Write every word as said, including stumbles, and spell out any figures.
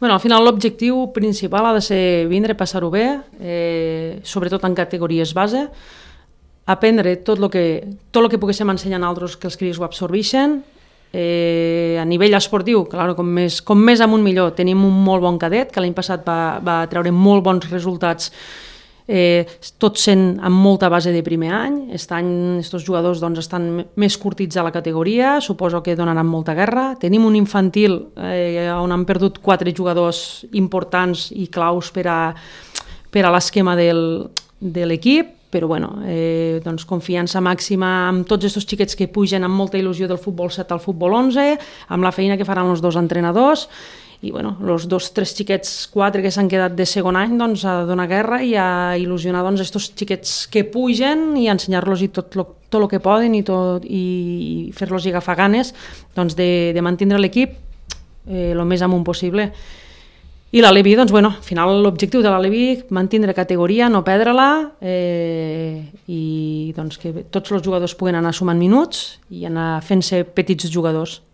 Bueno, al final l'objectiu principal ha de ser vindre, passar-ho bé, eh, sobretot en categories base, aprendre tot el que, tot el que poguéssim ensenyar a altres, que els cris ho absorbeixen. Eh, a nivell esportiu, clar, com més, com més amunt millor. Tenim un molt bon cadet, que l'any passat va, va treure molt bons resultats, eh, tot sent amb molta base de primer any. Aquest any aquests jugadors doncs, estan més curtits a la categoria, suposo que donaran molta guerra. Tenim un infantil eh, on han perdut quatre jugadors importants i claus per a, per a l'esquema del, de l'equip, però bueno, eh, doncs confiança màxima amb tots aquests xiquets que pugen amb molta il·lusió del futbol set al futbol onze, amb la feina que faran els dos entrenadors, i bueno, els dos, tres xiquets, quatre que s'han quedat de segon any, doncs a donar guerra i a il·lusionar doncs aquests xiquets que pugen i ensenyar-los tot el tot lo que poden i, tot, i fer-los agafar ganes doncs de, de mantenir l'equip eh, el més amunt possible. I l'Aleví, doncs, bueno, al final l'objectiu de l'Aleví, mantenir categoria, no perdre-la, eh, i doncs que tots els jugadors puguen anar sumant minuts i anar fent-se petits jugadors.